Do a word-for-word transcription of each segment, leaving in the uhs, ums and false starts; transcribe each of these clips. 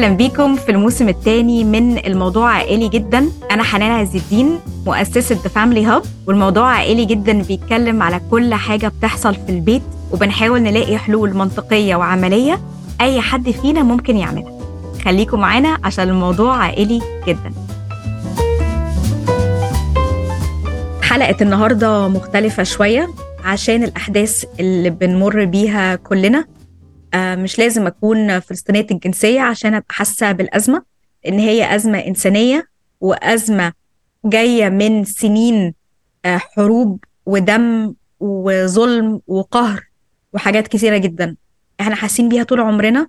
أهلا بيكم في الموسم الثاني من الموضوع عائلي جدا. أنا حنان عز الدين مؤسسة The Family Hub، والموضوع عائلي جدا بيتكلم على كل حاجة بتحصل في البيت، وبنحاول نلاقي حلول منطقية وعملية أي حد فينا ممكن يعملها. خليكم معانا عشان الموضوع عائلي جدا. حلقة النهاردة مختلفة شوية عشان الأحداث اللي بنمر بيها كلنا. آه مش لازم أكون فلسطينية الجنسية عشان أبقى حاسة بالأزمة، إن هي أزمة إنسانية وأزمة جاية من سنين آه حروب ودم وظلم وقهر وحاجات كثيرة جدا إحنا حاسين بيها طول عمرنا،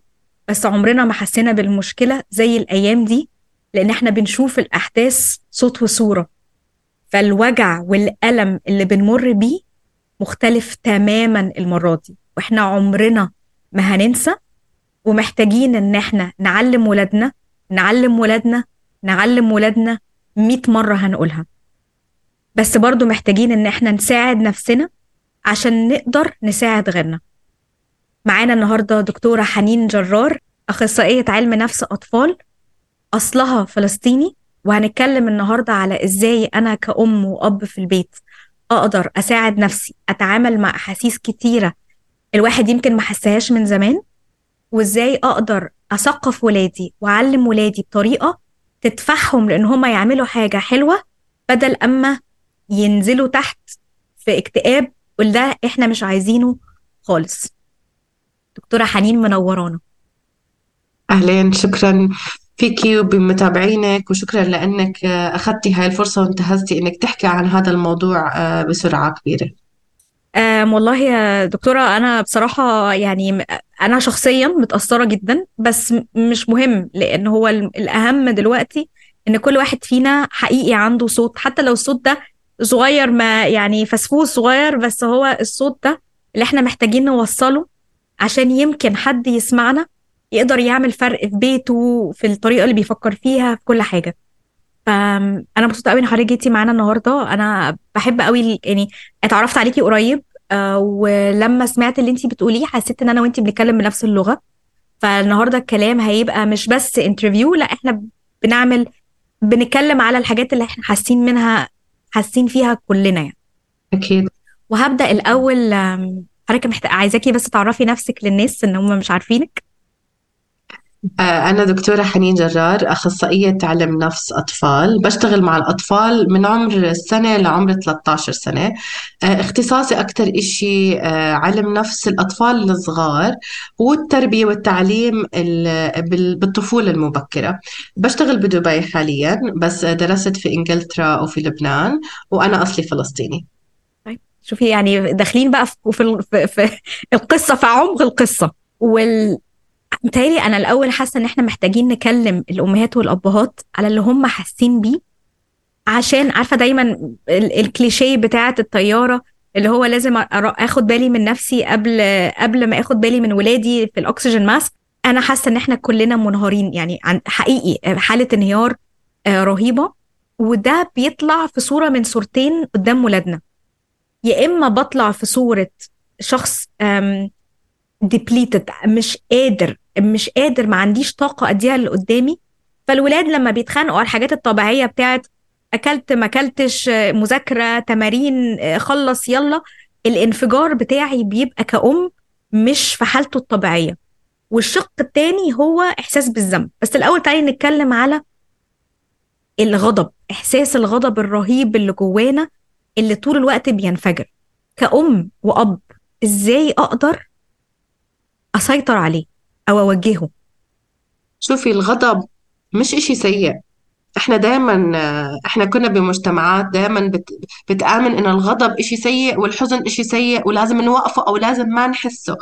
بس عمرنا ما حسينا بالمشكلة زي الأيام دي، لأن إحنا بنشوف الأحداث صوت وصورة. فالوجع والألم اللي بنمر بيه مختلف تماما المرة دي، وإحنا عمرنا ما هننسى، ومحتاجين إن إحنا نعلم ولادنا نعلم ولادنا نعلم ولادنا مئة مرة هنقولها، بس برضو محتاجين إن إحنا نساعد نفسنا عشان نقدر نساعد غيرنا. معانا النهاردة دكتورة حنين جرار، أخصائية علم نفس أطفال، أصلها فلسطيني، وهنتكلم النهاردة على إزاي أنا كأم وأب في البيت أقدر أساعد نفسي أتعامل مع أحاسيس كتيرة الواحد يمكن ما حسهاش من زمان، وإزاي أقدر أثقف ولادي وأعلم ولادي بطريقة تدفعهم لأن هما يعملوا حاجة حلوة بدل أما ينزلوا تحت في اكتئاب، وده إحنا مش عايزينه خالص. دكتورة حنين منورانا. أهلين، شكرا فيكي وبمتابعينك، وشكرا لأنك أخذتي هاي الفرصة وانتهزتي أنك تحكي عن هذا الموضوع بسرعة كبيرة. أم والله يا دكتورة، أنا بصراحة يعني أنا شخصيا متأثرة جدا، بس مش مهم، لأن هو الأهم دلوقتي إن كل واحد فينا حقيقي عنده صوت، حتى لو الصوت ده صغير، ما يعني فسفوس صغير، بس هو الصوت ده اللي احنا محتاجين نوصله عشان يمكن حد يسمعنا يقدر يعمل فرق في بيته، في الطريقة اللي بيفكر فيها، في كل حاجة. فأنا مبسوطة قوي إن حضرتك جيتي معانا النهاردة. أنا بحب قوي يعني اتعرفت عليكي قريب، أه ولما سمعت اللي انتي بتقوليه حسيت إن أنا وانتي بنتكلم بنفس اللغة. فالنهاردة الكلام هيبقى مش بس انترفيو، لا احنا بنعمل بنتكلم على الحاجات اللي احنا حاسين منها حاسين فيها كلنا يعني. أكيد. وهبدأ الأول، حضرتك محتاجة عايزاكي بس تعرفي نفسك للناس إن هم مش عارفينك. أنا دكتورة حنين جرار، أخصائية علم نفس أطفال، بشتغل مع الأطفال من عمر السنة لعمر ثلاثة عشر سنة. اختصاصي أكتر إشي علم نفس الأطفال الصغار والتربية والتعليم بالطفولة المبكرة. بشتغل بدبي حاليا، بس درست في إنجلترا وفي لبنان، وأنا أصلي فلسطيني. طيب شوفي، يعني داخلين بقى في, في, في القصة، في عمق القصة. وال متهيألي أنا الأول حاسة إن إحنا محتاجين نكلم الأمهات والأبهات على اللي هم حاسين بيه، عشان عارفة دايما ال- الكليشيه بتاعة الطيارة اللي هو لازم أ- أخد بالي من نفسي قبل قبل ما أخد بالي من ولادي في الأكسجين ماسك. أنا حاسة إن إحنا كلنا منهارين، يعني عن حقيقي حالة انهيار آه، رهيبة. وده بيطلع في صورة من صورتين قدام ولادنا، يا إما بطلع في صورة شخص depleted، مش قادر مش قادر ما عنديش طاقة أديها اللي قدامي. فالولاد لما بيتخانقوا على الحاجات الطبيعية بتاعت أكلت ما أكلتش، مذاكرة، تمارين، خلص يلا، الانفجار بتاعي بيبقى كأم مش في حالته الطبيعية. والشق التاني هو إحساس بالذنب. بس الأول تعالي نتكلم على الغضب، إحساس الغضب الرهيب اللي جوانا اللي طول الوقت بينفجر. كأم وأب إزاي أقدر أسيطر عليه أو أوجهه؟ شوفي، الغضب مش إشي سيء. احنا دائما احنا كنا بمجتمعات دائما بت... بتآمن ان الغضب اشي سيء والحزن اشي سيء ولازم نوقفه او لازم ما نحسه.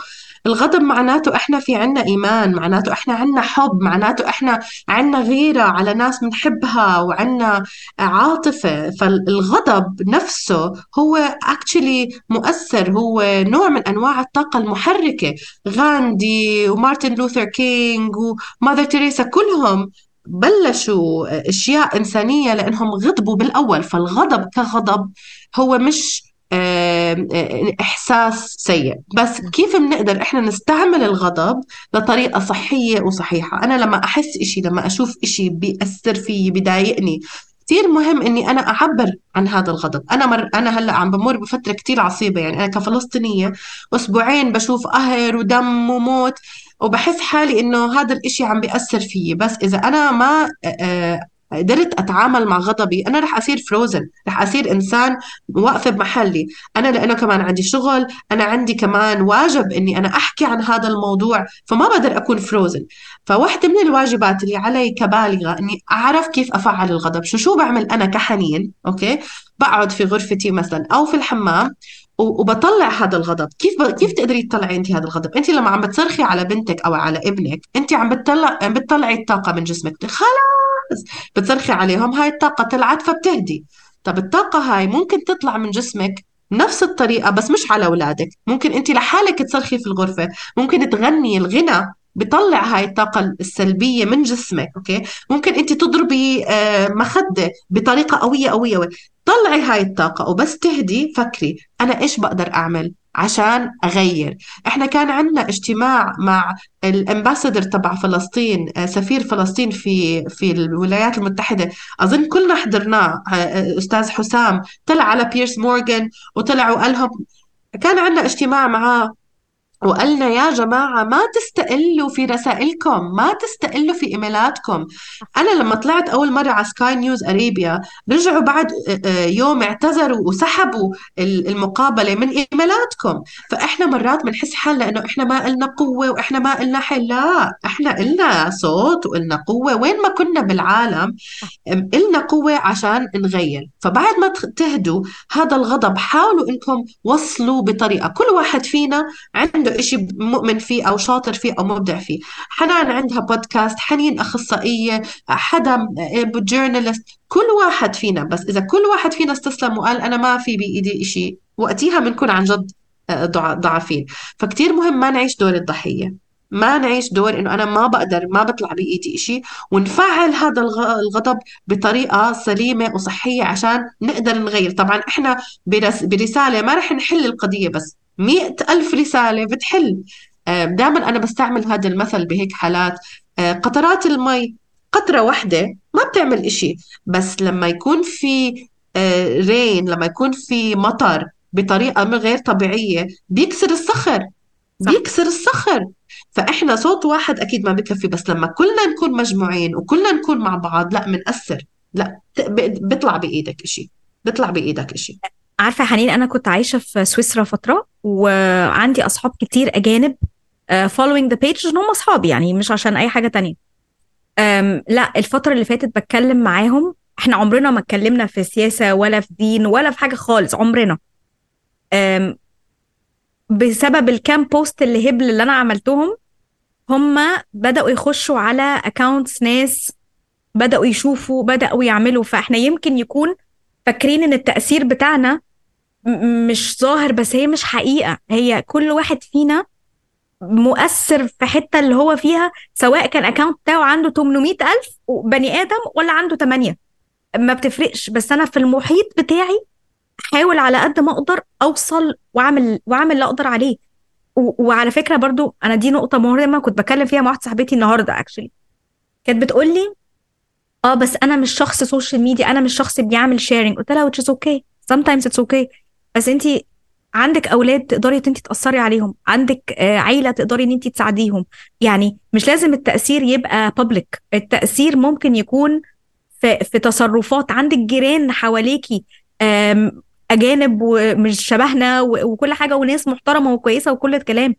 الغضب معناته احنا في عنا ايمان، معناته احنا عنا حب، معناته احنا عنا غيرة على ناس بنحبها وعنا عاطفة. فالغضب نفسه هو actually مؤثر، هو نوع من انواع الطاقة المحركة. غاندي ومارتن لوثر كينج وماذر تيريسا كلهم بلشوا أشياء إنسانية لأنهم غضبوا بالأول. فالغضب كغضب هو مش آه، آه، إحساس سيء. بس كيف بنقدر إحنا نستعمل الغضب لطريقة صحية وصحيحة؟ أنا لما أحس إشي، لما أشوف إشي بيأثر فيي بيضايقني، كتير مهم إني أنا أعبر عن هذا الغضب. أنا مر أنا هلأ عم بمر بفترة كتير عصيبة، يعني أنا كفلسطينية أسبوعين بشوف قهر ودم وموت، وبحس حالي إنه هذا الإشي عم بيأثر فيي. بس إذا أنا ما آه، قدرت أتعامل مع غضبي، أنا رح أصير فروزن، رح أصير إنسان واقفة بمحلي. أنا لأنه كمان عندي شغل، أنا عندي كمان واجب إني أنا أحكي عن هذا الموضوع، فما بقدر أكون فروزن. فواحدة من الواجبات اللي علي كبالغة إني أعرف كيف أفعل الغضب. شو شو بعمل أنا كحنين؟ أوكي، بقعد في غرفتي مثلا أو في الحمام و- وبطلع هذا الغضب. كيف ب... كيف تقدري تطلعي انت هذا الغضب؟ انت لما عم بتصرخي على بنتك او على ابنك، انت عم بتطلع عم بتطلعي الطاقه من جسمك. خلاص بتصرخي عليهم، هاي الطاقه طلعت فبتهدي. طب الطاقه هاي ممكن تطلع من جسمك نفس الطريقه، بس مش على اولادك. ممكن انت لحالك تصرخي في الغرفه، ممكن تغني. الغنى بطلع هاي الطاقة السلبية من جسمك. أوكي، ممكن أنت تضربي آه، مخدة بطريقة قوية قوية قوية. طلعي هاي الطاقة وبس تهدي فكري أنا إيش بقدر أعمل عشان أغير. إحنا كان عندنا اجتماع مع الامباسادور تبع فلسطين، آه، سفير فلسطين في في الولايات المتحدة. أظن كلنا حضرناه. آه، آه، أستاذ حسام طلع على بيرس مورغان وطلع وقال لهم، كان عندنا اجتماع معاه وقالنا يا جماعة ما تستقلوا في رسائلكم، ما تستقلوا في إيميلاتكم. أنا لما طلعت أول مرة على سكاي نيوز أريبيا، رجعوا بعد آه، آه، يوم اعتذروا وسحبوا ال- المقابلة من إيميلاتكم. فإحنا مرات بنحس حالنا إنه إحنا ما إلنا قوة وإحنا ما إلنا حل. لا، إحنا إلنا صوت وإلنا قوة وين ما كنا بالعالم. إلنا قوة عشان نغير. فبعد ما تخ- تهدوا هذا الغضب، حاولوا إنكم وصلوا بطريقة. كل واحد فينا عنده إشي مؤمن فيه أو شاطر فيه أو مبدع فيه. حنان عندها بودكاست، حنين أخصائية، حدا جورنالست. كل واحد فينا، بس إذا كل واحد فينا استسلم وقال أنا ما في بإيدي إشي، وقتها بنكون عن جد آه، ضع- ضعفين. فكتير مهم ما نعيش دور الضحية، ما نعيش دور إنه أنا ما بقدر، ما بطلع بإيدي إشي، ونفعل هذا الغ- الغضب بطريقة سليمة وصحية عشان نقدر نغير. طبعا إحنا برس برسالة ما رح نحل القضية، بس مئة ألف رسالة بتحل. دائما أنا بستعمل هذا المثل بهيك حالات. آه، قطرات المي، قطرة واحدة ما بتعمل إشي، بس لما يكون في رين، لما يكون في مطر بطريقة من غير طبيعية، بيكسر الصخر، صح. بيكسر الصخر. فإحنا صوت واحد أكيد ما بكفي، بس لما كلنا نكون مجموعين وكلنا نكون مع بعض، لا منأثر. لا ت- ب- بيطلع بإيدك إشي، بيطلع بإيدك إشي. عارفة يا حنين، أنا كنت عايشة في سويسرا فترة وعندي أصحاب كتير أجانب، آه، following the page إن هم أصحابي، يعني مش عشان أي حاجة تانية. أم، لا، الفترة اللي فاتت بتكلم معاهم، احنا عمرنا ما اتكلمنا في سياسة ولا في دين ولا في حاجة خالص، عمرنا. أم، بسبب الكام بوست اللي هبل اللي أنا عملتهم، هم بدأوا يخشوا على اكاونتس ناس، بدأوا يشوفوا، بدأوا يعملوا. فاحنا يمكن يكون فاكرين ان التأثير بتاعنا م- مش ظاهر، بس هي مش حقيقة. هي كل واحد فينا مؤثر في حتة اللي هو فيها، سواء كان اكاونت بتاعه عنده ثمانمائة ألف بني آدم ولا عنده ثمانية، ما بتفرقش. بس أنا في المحيط بتاعي أحاول على قد ما أقدر أوصل وأعمل وأعمل اللي أقدر عليه. و- وعلى فكرة برضو أنا دي نقطة مهمة كنت بتكلم فيها مع واحدة صاحبتي النهاردة اكشلي، كانت بتقول لي اه بس انا مش شخص سوشيال ميديا، انا مش شخص بيعمل شيرنج. قلت لها which is okay sometimes it's okay، بس انت عندك اولاد تقدري انت تاثري عليهم، عندك آه، عيله تقدري ان انت تساعديهم. يعني مش لازم التاثير يبقى public، التاثير ممكن يكون في في تصرفات. عندك جيران حواليكي آم، اجانب ومش شبهنا و- وكل حاجه، وناس محترمه وكويسه وكل الكلام،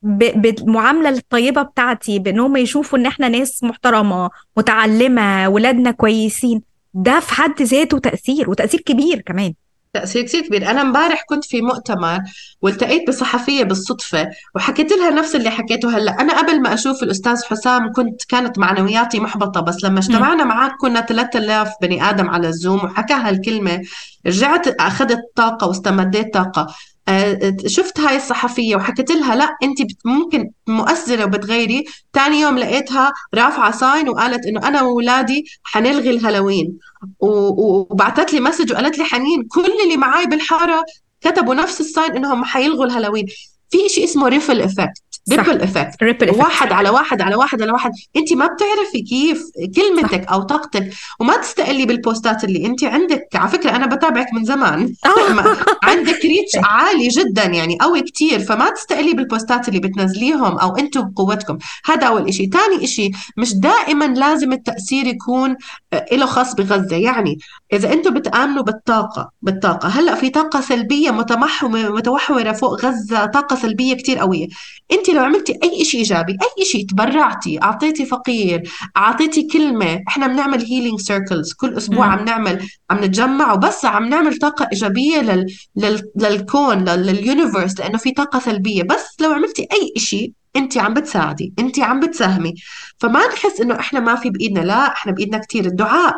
ب- بالمعاملة الطيبة بتاعتي، بأنهم يشوفوا إن إحنا ناس محترمة متعلمة ولادنا كويسين. ده في حد ذاته تأثير، وتأثير كبير كمان. تأثير كثير كبير. أنا امبارح كنت في مؤتمر والتقيت بصحفية بالصدفة، وحكيت لها نفس اللي حكيته هلأ. أنا قبل ما أشوف الأستاذ حسام كنت كانت معنوياتي محبطة، بس لما مم. اجتمعنا معك كنا ثلاثة آلاف بني آدم على الزوم وحكى هالكلمة، رجعت أخذت طاقة واستمديت طاقة. آه، شفت هاي الصحفية وحكيت لها لا أنت بت- ممكن مؤثرة وبتغيري. تاني يوم لقيتها رافعة ساين وقالت إنه أنا وولادي حنلغي الهالوين. و- و- وبعتت لي مسج وقالت لي حنين كل اللي معاي بالحارة كتبوا نفس الساين انهم حيلغوا الهالوين. في اشي اسمه ريفل افكت، صح. ريبل افكت، ripple effect. واحد على واحد على واحد على واحد. انت ما بتعرفي كيف صح. كلمتك او طاقتك. وما تستقلي بالبوستات اللي انت عندك. على فكرة انا بتابعك من زمان ما- عندك ريتش عالي جدا يعني، قوي كتير. فما تستقلي بالبوستات اللي بتنزليهم، او انتم قوتكم. هذا اول اشي. تاني اشي، مش دائما لازم التأثير يكون آه، له خاص بغزة. يعني إذا أنتم بتآمنوا بالطاقة بالطاقة هلأ في طاقة سلبية متمحورة متوحورة فوق غزة، طاقة سلبية كتير قوية. أنت لو عملتي أي شيء إيجابي، أي شيء، تبرعتي، أعطيتي فقير، أعطيتي كلمة. إحنا بنعمل هيلينج سيركلز كل أسبوع، مم. عم نعمل عم نتجمع وبس عم نعمل طاقة إيجابية لل... لل... للكون، لل... لليونيفرس، لأنه في طاقة سلبية. بس لو عملتي أي شيء أنت عم بتساعدي، أنت عم بتساهمي. فما نحس إنه إحنا ما في بإيدنا. لا، إحنا بإيدنا كتير. الدعاء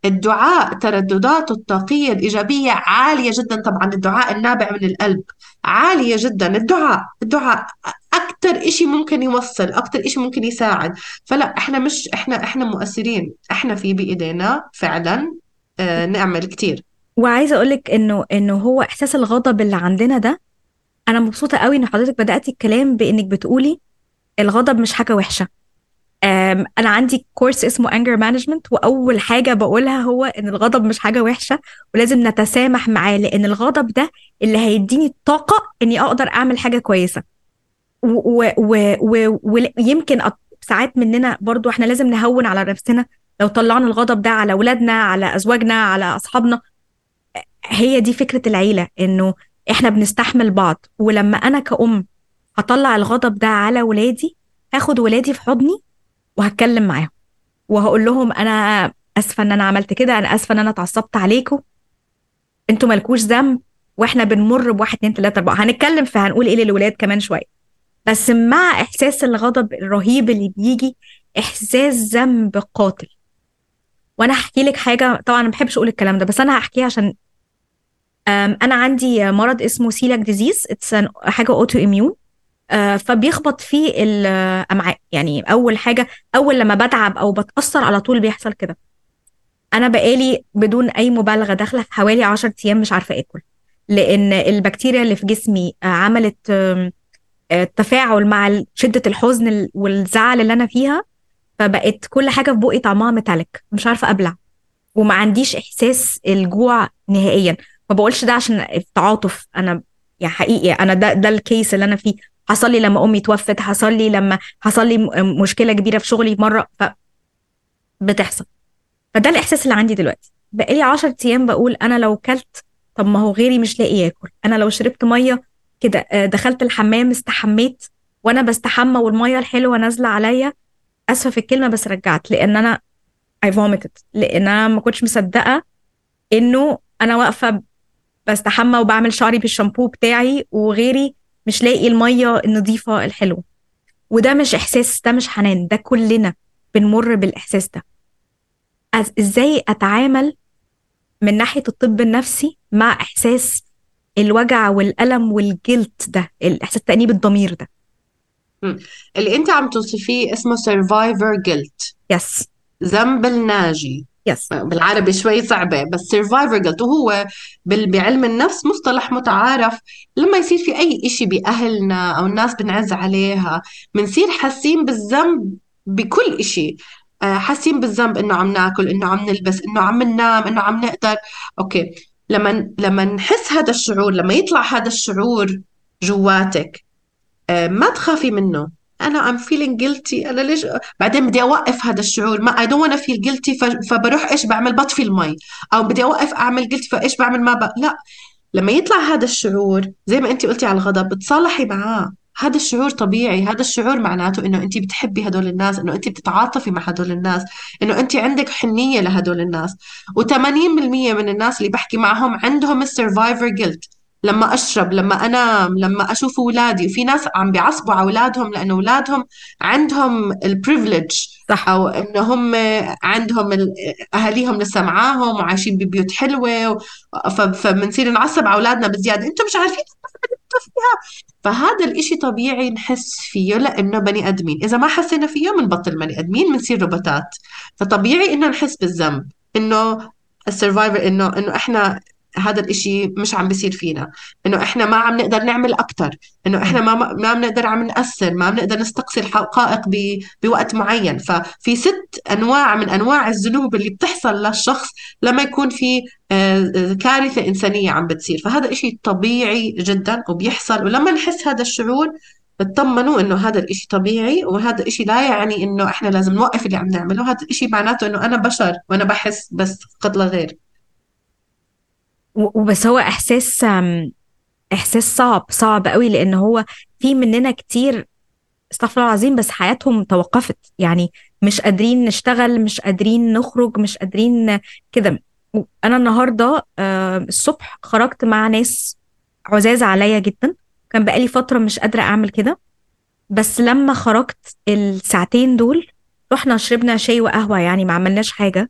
الدعاء تردداته الطاقية الإيجابية عالية جدا. طبعا الدعاء النابع من القلب عالية جدا. الدعاء الدعاء أكتر إشي ممكن يوصل، أكتر إشي ممكن يساعد. فلا، إحنا مش إحنا إحنا مؤثرين. إحنا في بإيدينا فعلا آه نعمل كتير. وعايزه اقولك انه انه هو احساس الغضب اللي عندنا ده، انا مبسوطه قوي ان حضرتك بداتي الكلام بانك بتقولي الغضب مش حاجه وحشه. أم، انا عندي كورس اسمه anger management، واول حاجه بقولها هو ان الغضب مش حاجه وحشه، ولازم نتسامح معاه، لان الغضب ده اللي هيديني الطاقه اني اقدر اعمل حاجه كويسه. ويمكن ساعات مننا برضو احنا لازم نهون على نفسنا لو طلعنا الغضب ده على اولادنا، على ازواجنا، على اصحابنا. هي دي فكره العيله، انه احنا بنستحمل بعض. ولما انا كأم هطلع الغضب ده على ولادي، هاخد ولادي في حضني وهتكلم معاهم وهقول لهم انا اسفه ان انا عملت كده، انا اسفه ان انا اتعصبت عليكم، انتوا مالكوش ذنب، واحنا بنمر بواحد اتنين تلاته اربعه. هنتكلم في هنقول ايه للولاد كمان شويه. بس مع احساس الغضب الرهيب اللي بيجي احساس ذنب قاتل. وانا هحكي لك حاجه، طبعا ما بحبش اقول الكلام ده بس انا هحكيها عشان أم، انا عندي مرض اسمه سيلاك ديزيز. اتس حاجه اوتو اميون. فبيخبط فيه الامعاء. يعني اول حاجه، اول لما بتعب او بتاثر على طول بيحصل كده. انا بقالي بدون اي مبالغه داخله في حوالي عشرة ايام مش عارفه اكل، لان البكتيريا اللي في جسمي آه، عملت آم، آه، تفاعل مع شده الحزن ال- والزعل اللي انا فيها. فبقت كل حاجه في بقي طعمها ميتاليك، مش عارفه ابلع، وما عنديش احساس الجوع نهائيا. ما بقولش ده عشان التعاطف، انا يعني حقيقي انا ده ده الكيس اللي انا فيه. حصل لي لما امي توفت، حصل لي لما حصل لي م- مشكله كبيره في شغلي مره، فبتحصل. فده الاحساس اللي عندي دلوقتي. بقالي عشر ايام بقول انا لو كلت، طب ما هو غيري مش لاقي ياكل. انا لو شربت ميه كده، آه، دخلت الحمام استحميت، وانا بستحمى والميه الحلوه نازله عليا، اسفه في الكلمه بس رجعت، لان انا I vomited، لان انا ما كنتش مصدقه انه انا واقفه بستحمى وبعمل شعري بالشامبو بتاعي وغيري مش لاقي الميه النظيفه الحلوه. وده مش احساس، ده مش حنان، ده كلنا بنمر بالاحساس ده. أز- ازاي اتعامل من ناحية الطب النفسي مع إحساس الوجع والألم والجلت ده، الإحساس تأنيب الضمير ده؟ مم. اللي انت عم توصفيه اسمه survivor guilt، يس. ذنب الناجي. يس. بالعربي شوي صعبة بس survivor guilt. وهو بال- بعلم النفس مصطلح متعارف. لما يصير في أي إشي بأهلنا أو الناس بنعز عليها، بنصير حاسين بالذنب بكل إشي. آه، حاسين بالذنب إنه عم ناكل، إنه عم نلبس، إنه عم ننام، إنه عم نقدر. أوكي. لما لما نحس هذا الشعور، لما يطلع هذا الشعور جواتك، آه، ما تخافي منه. انا I'm feeling guilty، انا ليش بعدين بدي اوقف هذا الشعور؟ ما I don't wanna feel guilty. ف- فبروح ايش بعمل؟ بطفي المي. او بدي اوقف اعمل guilty، فايش بعمل؟ ما ب... لا. لما يطلع هذا الشعور زي ما انت قلتي على الغضب، بتصالحي معاه. هذا الشعور طبيعي. هذا الشعور معناته انه انت بتحبي هدول الناس، انه انت بتتعاطفي مع هدول الناس، انه انت عندك حنية لهدول الناس. و80% من الناس اللي بحكي معهم عندهم السرفايفر جيلت. لما اشرب، لما انام، لما اشوف اولادي. وفي ناس عم بيعصبوا على اولادهم لانه اولادهم عندهم البريفليج، صح. او انه هم عندهم ال- اهاليهم لسه معاهم وعايشين ببيوت حلوه. ف- فبنصير نعصب على اولادنا بزياده، انتم مش عارفين تنظفوا فيها. فهذا الاشي طبيعي نحس فيه لانه بني ادمين. اذا ما حسينا فيه بنبطل بني ادمين، بنصير روبوتات. فطبيعي انه نحس بالذنب، انه السرفايفر، انه انه احنا هذا الإشي مش عم بيصير فينا، إنه إحنا ما عم نقدر نعمل أكتر، إنه إحنا ما ما بنقدر عم نأثر، ما بنقدر نستقصي الحقائق ب- بوقت معين. ففي ست أنواع من أنواع الذنوب اللي بتحصل للشخص لما يكون في آه، آه، كارثة إنسانية عم بتصير. فهذا إشي طبيعي جدا وبيحصل، ولما نحس هذا الشعور اطمنوا إنه هذا الإشي طبيعي، وهذا الإشي لا يعني إنه إحنا لازم نوقف اللي عم نعمله. هذا الإشي معناته إنه أنا بشر وأنا بحس بس قد لا غير. و- وبس هو احساس أم، احساس صعب صعب قوي، لان هو في مننا كتير استغفر الله العظيم بس حياتهم توقفت، يعني مش قادرين نشتغل، مش قادرين نخرج، مش قادرين كده. انا النهارده آه، الصبح خرجت مع ناس عزاز عليا جدا، كان بقالي فترة مش قادرة اعمل كده، بس لما خرجت الساعتين دول رحنا شربنا شاي وقهوة، يعني ما عملناش حاجة.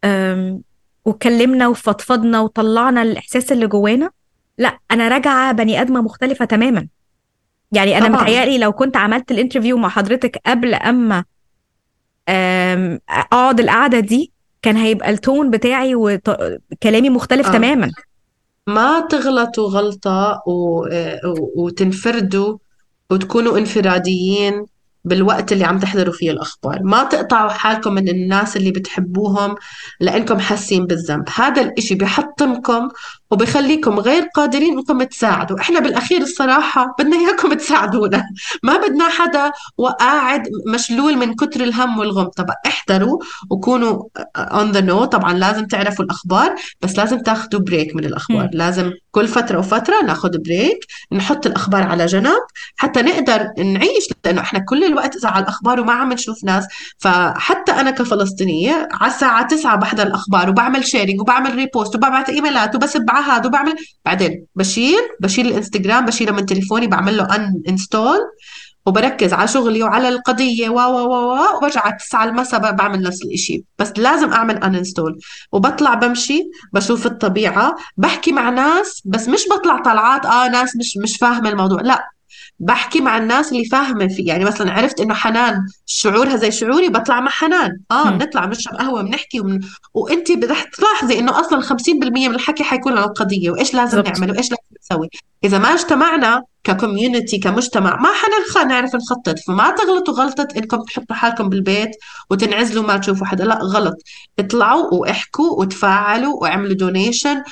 أم، وكلمنا وفضفضنا وطلعنا الإحساس اللي جوانا. لا أنا راجعة بني آدمة مختلفة تماما. يعني أنا طبعا. متهيألي لو كنت عملت الانترفيو مع حضرتك قبل أما أم، أقعد القعدة دي كان هيبقى التون بتاعي وكلامي مختلف آه. تماما. ما تغلطوا غلطة و... و... وتنفردوا وتكونوا انفراديين بالوقت اللي عم تحضروا فيه الأخبار. ما تقطعوا حالكم من الناس اللي بتحبوهم لأنكم حاسين بالذنب. هذا الإشي بيحطمكم وبيخليكم غير قادرين انكم تساعدوا. احنا بالأخير الصراحة بدنا إياكم تساعدونا، ما بدنا حدا وقاعد مشلول من كتر الهم والغم. طبعا احضروا وكونوا on the know. طبعا لازم تعرفوا الأخبار، بس لازم تاخدوا بريك من الأخبار. مم. لازم كل فترة وفترة ناخد بريك، نحط الأخبار على جنب حتى نقدر نعيش، لأنه إحنا كل الوقت إذا على الأخبار وما عم نشوف ناس. فحتى أنا كفلسطينية على الساعة تسعة بحضر الأخبار وبعمل شيرينج وبعمل ريبوست وببعت إيميلات وبسب على هذا وبعمل، بعدين بشيل بشيل الإنستغرام، بشيله من تليفوني، بعمل له أن انستول وبركز على شغلي وعلى القضية و و و و وبرجع على تسعة المساء بعمل نفس الإشي. بس لازم أعمل أنستول وبطلع بمشي بشوف الطبيعة، بحكي مع ناس، بس مش بطلع طلعات آه ناس مش مش فاهمة الموضوع، لا، بحكي مع الناس اللي فاهمة فيه. يعني مثلا عرفت إنه حنان شعورها زي شعوري، بطلع مع حنان، آه مم. بنطلع بنشرب قهوة بنحكي ومن... وأنت رح تلاحظي إنه أصلا خمسين بالمية من الحكي حيكون عن القضية وإيش لازم بالظبط. نعمل وإيش لازم نسوي. إذا ما اجتمعنا ككوميونتي كمجتمع ما حنلخى نعرف نخطط. فما تغلطوا غلطة إنكم تحطوا حالكم بالبيت وتنعزلوا ما تشوفوا حدا، لا غلط. اطلعوا واحكوا وتفاعلوا واعملوا دونيشن.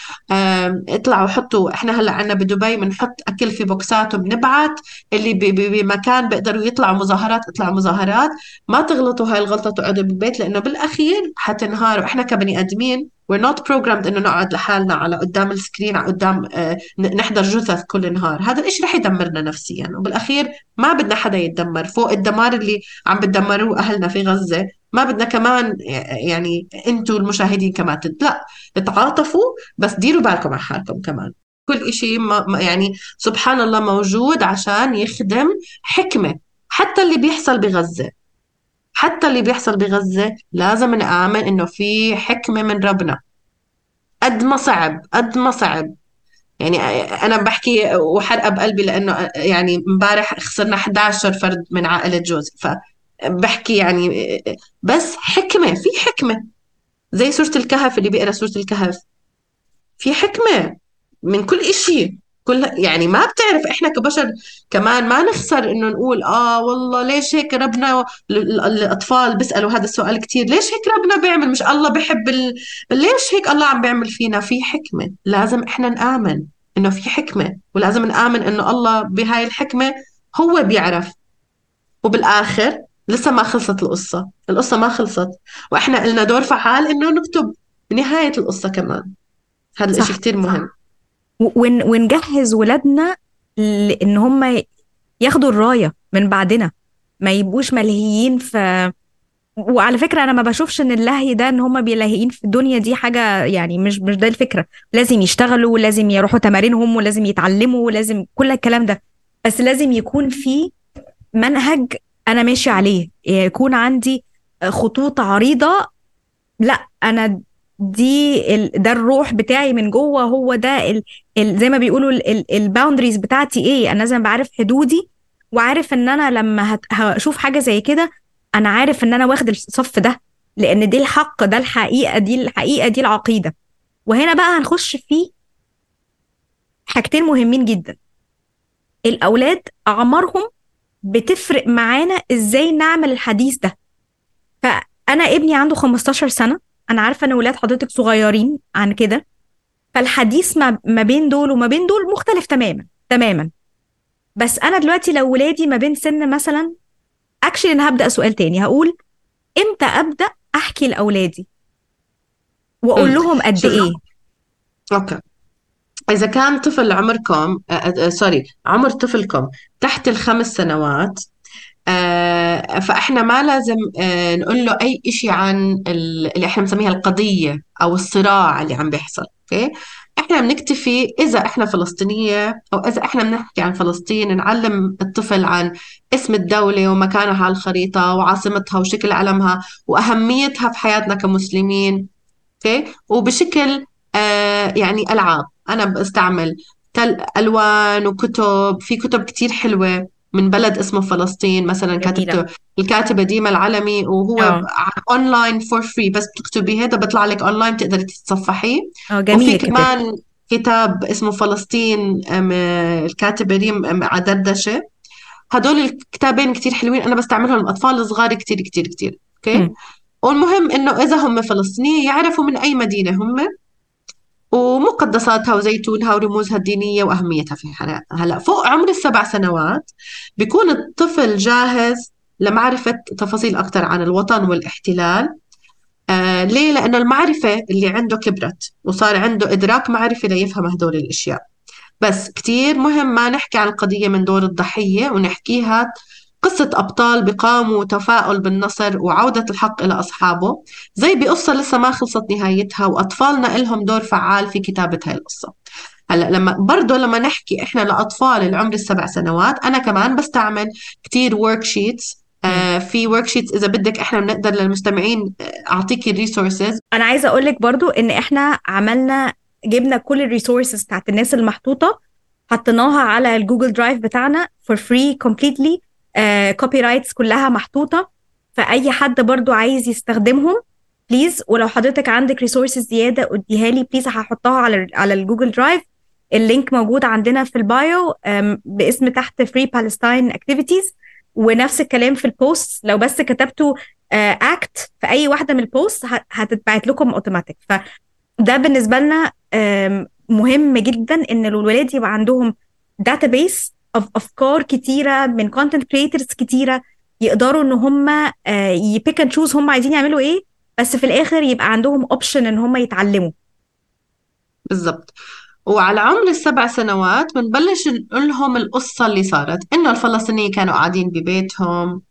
اطلعوا حطوا، احنا هلا عنا بدبي بنحط اكل في بوكسات وبنبعت، اللي ب- ب- بمكان بيقدروا يطلعوا مظاهرات اطلعوا مظاهرات. ما تغلطوا هاي الغلطة تقعدوا بالبيت، لأنه بالأخير حتنهاروا. إحنا كبني آدمين we're not programmed إنه نقعد لحالنا على قدام السكرين، على قدام آه، ن- نحضر جثث كل نهار. هذا الإشي رح يدمرنا نفسيا، وبالأخير ما بدنا حدا يتدمر فوق الدمار اللي عم بتدمروه أهلنا في غزة. ما بدنا كمان يعني انتوا المشاهدين كمان تد... لا، تعاطفوا بس ديروا بالكم على حالكم كمان. كل إشي ما ما- يعني سبحان الله موجود عشان يخدم حكمة. حتى اللي بيحصل بغزة، حتى اللي بيحصل بغزة لازم نآمن إنه في حكمة من ربنا. قد ما صعب، قد ما صعب. يعني أنا بحكي وحرقة بقلبي لأنه يعني امبارح خسرنا إحدى عشر فرد من عائلة جوزي، فبحكي يعني بس حكمة، في حكمة. زي سورة الكهف، اللي بيقرأ سورة الكهف في حكمة من كل إشي. كل يعني ما بتعرف إحنا كبشر كمان ما نخسر إنه نقول آه والله ليش هيك ربنا. ال- ال- الأطفال بيسألوا هذا السؤال كتير، ليش هيك ربنا بيعمل؟ مش الله بيحب ال... ليش هيك الله عم بيعمل فينا؟ في حكمة. لازم إحنا نآمن إنه في حكمة، ولازم نآمن إنه الله بهاي الحكمة هو بيعرف. وبالآخر لسه ما خلصت القصة، القصة ما خلصت، وإحنا لنا دور فعال إنه نكتب نهاية القصة كمان. هذا الإشي صح. كتير مهم. ون ونجهز ولادنا لان هم ياخدوا الراية من بعدنا، ما يبقوش ملهيين في. وعلى فكرة أنا ما بشوفش إن اللهي ده إن هم بيلهيين في الدنيا دي حاجة، يعني مش مش ده الفكرة. لازم يشتغلوا ولازم يروحوا تمارينهم ولازم يتعلموا ولازم كل الكلام ده، بس لازم يكون في منهج أنا ماشي عليه، يكون عندي خطوط عريضة. لا أنا دي ال... ده الروح بتاعي من جوه، هو ده ال... ال... زي ما بيقولوا الباوندريز بتاعتي ايه. انا لازم بعرف حدودي، وعارف ان انا لما هت... هشوف حاجة زي كده انا عارف ان انا واخد الصف ده، لان دي الحق، ده الحقيقة، دي الحقيقة، دي العقيدة. وهنا بقى هنخش في حاجتين مهمين جدا. الأولاد أعمارهم بتفرق معانا إزاي نعمل الحديث ده. فأنا ابني عنده خمستاشر سنة، أنا عارفة إن ولاد حضرتك صغيرين عن كده، فالحديث ما ما بين دول وما بين دول مختلف تماما تماما. بس أنا دلوقتي لو ولادي ما بين سن مثلا، أكشلي أنا هبدأ سؤال تاني، هقول إمتى أبدأ أحكي لأولادي وأقول امم لهم قد شوف، إيه؟ اوكي، إذا كان طفل عمركم آه آه سوري عمر طفلكم تحت الخمس سنوات، آه فإحنا ما لازم آه نقول له أي إشي عن ال- اللي إحنا بنسميها القضية أو الصراع اللي عم بيحصل. أوكي، إحنا بنكتفي إذا إحنا فلسطينية أو إذا إحنا بنحكي عن فلسطين، نعلم الطفل عن اسم الدولة ومكانها على الخريطة وعاصمتها وشكل علمها وأهميتها في حياتنا كمسلمين. اوكي، وبشكل آه يعني ألعاب. أنا بستعمل تل ألوان وكتب، في كتب كتير حلوة من بلد اسمه فلسطين مثلا، جميلة. كاتبته الكاتبة ديما العلمي، وهو اه اونلاين فور فري، بس بتكتبي هذا بيطلع لك اونلاين بتقدري تتصفحيه. اه وفي جميل الكتاب. كمان كتاب اسمه فلسطين، أم، الكاتبة ريم أم، عدردشة. هدول الكتابين كتير حلوين، أنا بستعملهم للأطفال الصغار كتير كتير كتير. أوكي، مم. والمهم إنه إذا هم فلسطينيين يعرفوا من أي مدينة هم ومقدساتها وزيتونها ورموزها الدينية وأهميتها في حياتنا. هلأ فوق عمر السبع سنوات بيكون الطفل جاهز لمعرفة تفاصيل أكثر عن الوطن والاحتلال. آه ليه؟ لأنه المعرفة اللي عنده كبرت وصار عنده إدراك معرفي ليفهم هدول الأشياء. بس كتير مهم ما نحكي عن القضية من دور الضحية، ونحكيها قصة أبطال بقاموا تفاؤل بالنصر وعودة الحق إلى أصحابه، زي بقصة لسه ما خلصت نهايتها، وأطفالنا إلهم دور فعال في كتابة هاي القصة. هلا لما برضه لما نحكي إحنا لأطفال العمر السبع سنوات، أنا كمان بستعمل كتير ورك شيتس. مم. آه في ورك شيتس إذا بدك إحنا بنقدر للمستمعين آه، أعطيكي الريسورسز. انا عايزه اقول لك برضو ان احنا عملنا، جبنا كل الريسورسز بتاعت الناس المحطوطه، حطيناها على الجوجل درايف بتاعنا for free completely. كوبي رايتس كلها محطوطه، فاي حد برضو عايز يستخدمهم بليز. ولو حضرتك عندك ريسورسز زياده اديها لي بليز، هحطها على على الجوجل درايف. اللينك موجود عندنا في البايو آم، باسم تحت Free Palestine Activities. ونفس الكلام في البوست، لو بس كتبتوا اكت في اي واحده من البوست هتتبعت لكم اوتوماتيك. فده بالنسبه لنا آم، مهم جدا ان الولاد يبقى عندهم داتابيس of افكار كتيره من كونتنت كريترز كتيره، يقدروا ان هم يبيك اند تشوز هم عايزين يعملوا ايه، بس في الاخر يبقى عندهم اوبشن ان هم يتعلموا. بالضبط. وعلى عمر السبع سنوات بنبلش نقول لهم القصة اللي صارت، إنه الفلسطينيين كانوا قاعدين ببيتهم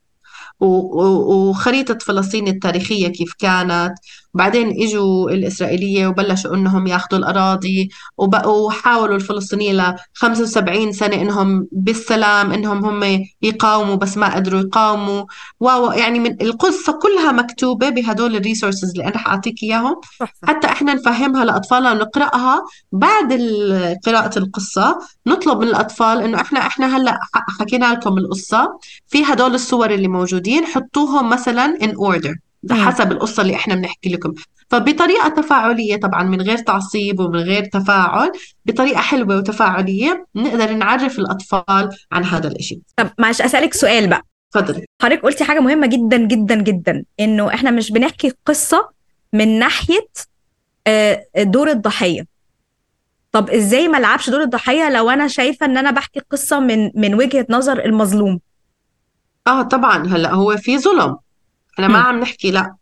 و- و- وخريطة فلسطين التاريخية كيف كانت. وبعدين إجوا الإسرائيلية وبلشوا إنهم ياخذوا الأراضي، وبقوا حاولوا الفلسطينيين ل خمسة وسبعين سنة إنهم بالسلام إنهم هم يقاوموا، بس ما قدروا يقاوموا. واو، يعني من القصة كلها مكتوبة بهدول الريسورسز اللي أنا رح أعطيك إياهم، تحفه. حتى إحنا نفهمها لأطفالنا ونقرأها. بعد ال- قراءة القصة نطلب من الأطفال إنه إحنا إحنا هلأ ح- حكينا لكم القصة، في هدول الصور اللي موجودين حطوهم مثلا in order مم. حسب القصة اللي احنا بنحكي لكم. فبطريقة تفاعلية طبعا، من غير تعصيب ومن غير تفاعل، بطريقة حلوة وتفاعلية نقدر نعرف الأطفال عن هذا الإشي. طب معلش اسالك سؤال بقى. تفضلي. حضرتك قلتي حاجه مهمه جدا جدا جدا، انه احنا مش بنحكي قصه من ناحيه آه، دور الضحيه. طب ازاي ما العبش دور الضحيه لو انا شايفه ان انا بحكي قصه من من وجهه نظر المظلوم؟ اه طبعا، هلا هو في ظلم، احنا ما هم. عم نحكي لا،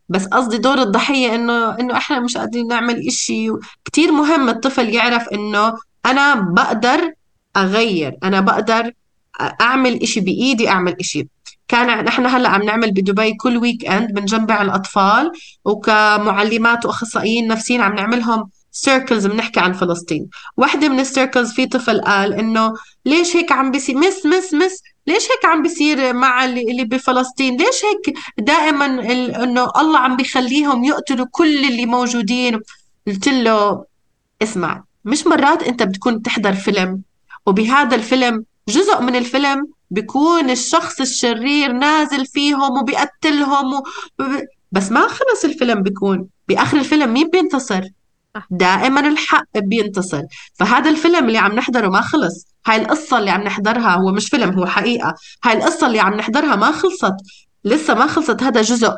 بس قصدي دور الضحية إنه إنه إحنا مش قادرين نعمل إشي. كتير مهم الطفل يعرف إنه أنا بقدر أغير، أنا بقدر أعمل إشي بإيدي، أعمل إشي. كان نحن هلأ عم نعمل بدبي كل ويك إند بنجمع الأطفال، وكمعلمات وأخصائيين نفسيين عم نعملهم سيركلز بنحكي عن فلسطين. واحدة من السيركلز في طفل قال إنه ليش هيك عم بيصير، مس مس مس ليش هيك عم بيصير مع اللي اللي بفلسطين؟ ليش هيك دائما ال- انه الله عم بيخليهم يقتلوا كل اللي موجودين؟ قلت له اسمع، مش مرات انت بتكون تحضر فيلم، وبهذا الفيلم جزء من الفيلم بيكون الشخص الشرير نازل فيهم وبيقتلهم و... بس ما خلص الفيلم، بيكون بآخر الفيلم مين بينتصر؟ صح. دائما الحق بينتصر. فهذا الفيلم اللي عم نحضره ما خلص، هاي القصة اللي عم نحضرها هو مش فيلم، هو حقيقة. هاي القصة اللي عم نحضرها ما خلصت، لسه ما خلصت. هذا جزء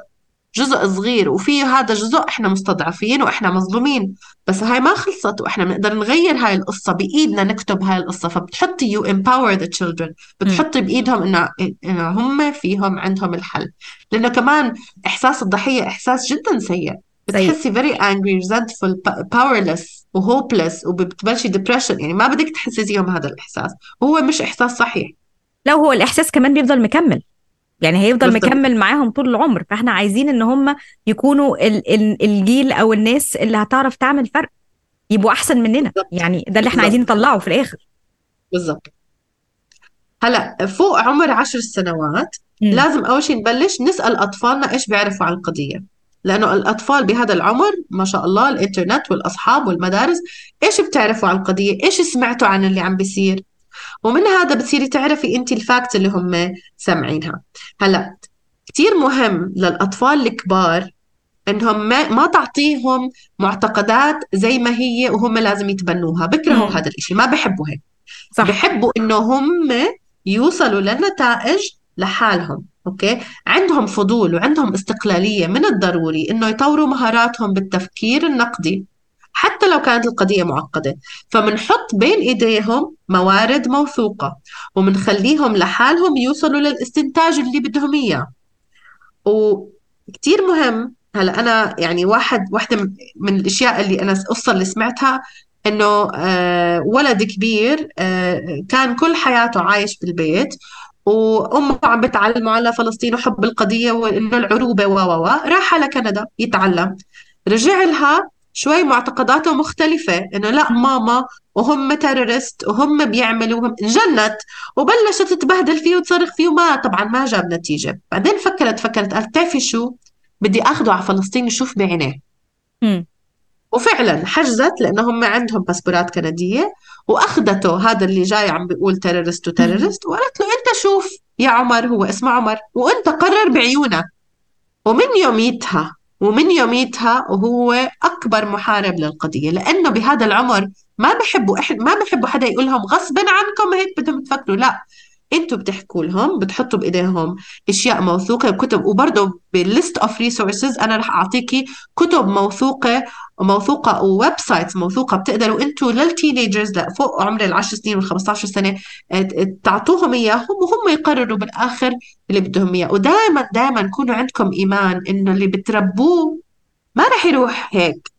جزء صغير، وفي هذا جزء احنا مستضعفين واحنا مظلومين، بس هاي ما خلصت، واحنا بنقدر نغير هاي القصة بإيدنا، نكتب هاي القصة. فبتحطي you empower the children، مم. بتحطي بإيدهم إنه إنه هم فيهم عندهم الحل. لأنه كمان إحساس الضحية إحساس جدا سيء، سيء. بتحسي very angry resentful powerless و hopeless، وبتبلشي depression. يعني ما بدك تحسي فيهم هذا الإحساس، وهو مش إحساس صحيح. لو هو الإحساس كمان بيفضل مكمل، يعني هيفضل بالضبط. مكمل معاهم طول العمر. فاحنا عايزين ان هم يكونوا ال ال الجيل او الناس اللي هتعرف تعمل فرق، يبقوا احسن مننا. بالضبط. يعني ده اللي احنا عايزين بالضبط. نطلعه في الاخر. بالضبط. هلا فوق عمر عشر سنوات امم. لازم أول شيء نبلش نسأل أطفالنا إيش بيعرفوا عن القضية، لأنه الأطفال بهذا العمر ما شاء الله الإنترنت والأصحاب والمدارس، إيش بتعرفوا عن القضية، إيش سمعتوا عن اللي عم بيصير، ومن هذا بتصيري تعرفي أنت الفاكت اللي هم سامعينها. هلا كتير مهم للأطفال الكبار إنهم ما, ما تعطيهم معتقدات زي ما هي وهم لازم يتبنوها. بكرهوا امم. هذا الإشي، ما بحبوا هيك. صح. بحبوا إنه هم يوصلوا لنتائج لحالهم. أوكي، عندهم فضول وعندهم استقلالية. من الضروري إنه يطوروا مهاراتهم بالتفكير النقدي حتى لو كانت القضية معقدة. فمنحط بين إيديهم موارد موثوقة، ومنخليهم لحالهم يوصلوا للاستنتاج اللي بدهم إياه. وكتير مهم. هلا أنا يعني واحد واحدة من من الأشياء اللي أنا القصة اللي سمعتها إنه آه ولد كبير آه كان كل حياته عايش بالبيت، وأمه عم بتعلمه على فلسطين وحب القضية وإنه العروبة و و و راح على كندا يتعلم. رجع لها شوي معتقداته مختلفة، إنه لا مم. ماما وهم تيرورست وهم بيعملوا وهم جنت، وبلشت تبهدل فيه وتصرخ فيه، وما طبعا ما جاب نتيجة. بعدين فكرت فكرت قالت تعرفي شو، بدي اخده على فلسطين يشوف بعينيه. امم. وفعلا حجزت لانه هم عندهم باسبورات كندية، واخدته هذا اللي جاي عم بيقول تيرورست وتيرورست، وقالت له انت شوف يا عمر، هو اسمه عمر، وانت قرر بعيونك. ومن يوميتها ومن يوميتها وهو أكبر محارب للقضية، لأنه بهذا العمر ما بحبوا إحنا ما بحبوا حدا يقول لهم غصبا عنكم هيك بدهم تفكروا. لا، انتوا بتحكوا لهم، بتحطوا بايديهم اشياء موثوقه، كتب. وبرضه بالليست اوف ريسورسز انا رح اعطيكي كتب موثوقه موثوقه وويب سايتس موثوقه، بتقدروا انتوا للتينيجرز فوق عمر العشر سنين والخمسة عشر سنه ت- تعطوهم اياهم، وهم يقرروا بالاخر اللي بدهم اياه. ودائما دائما كونوا عندكم ايمان انه اللي بتربوه ما رح يروح هيك.